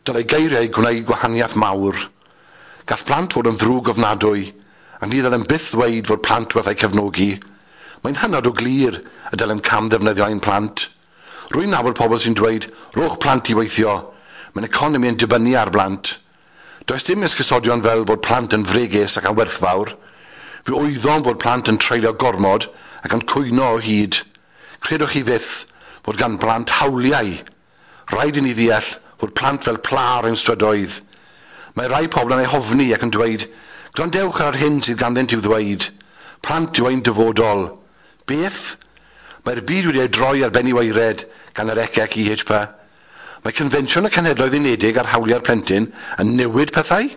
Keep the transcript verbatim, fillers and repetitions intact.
Dylai geiriau gwneud gwahaniaeth mawr. Gall plant fod yn ddrwg ofnadwy, ac ni ddylem byth ddweud fod plant werth eu cefnogi. Mae'n hynod o glir y dylem cam ddefnyddio ein plant. Rwy'n nabod pobl sy'n dweud, "Rhowch plant i weithio. Mae'n economi yn dibynnu ar blant." Does dim esgusodion fel bod plant yn fregus ac yn werthfawr. Fe wyddom fod plant yn treulio gormod ac yn cwyno o hyd. Credwch chi fyth fod gan blant hawliau. Rhaid i ni ddeall fod plant fel pla ar ein strydoedd. Mae rai pobl yn eu hofni ac yn dweud, "Gwrandewch ar yr hyn sydd ganddynt i'w ddweud. Plant yw ein dyfodol." Beth? Mae'r byd wedi ei droi ar ben i waered gan yr E C C E H P. Mae Confensiwn y Cenhedloedd Unedig ar Hawliau'r Plentyn yn newid pethau?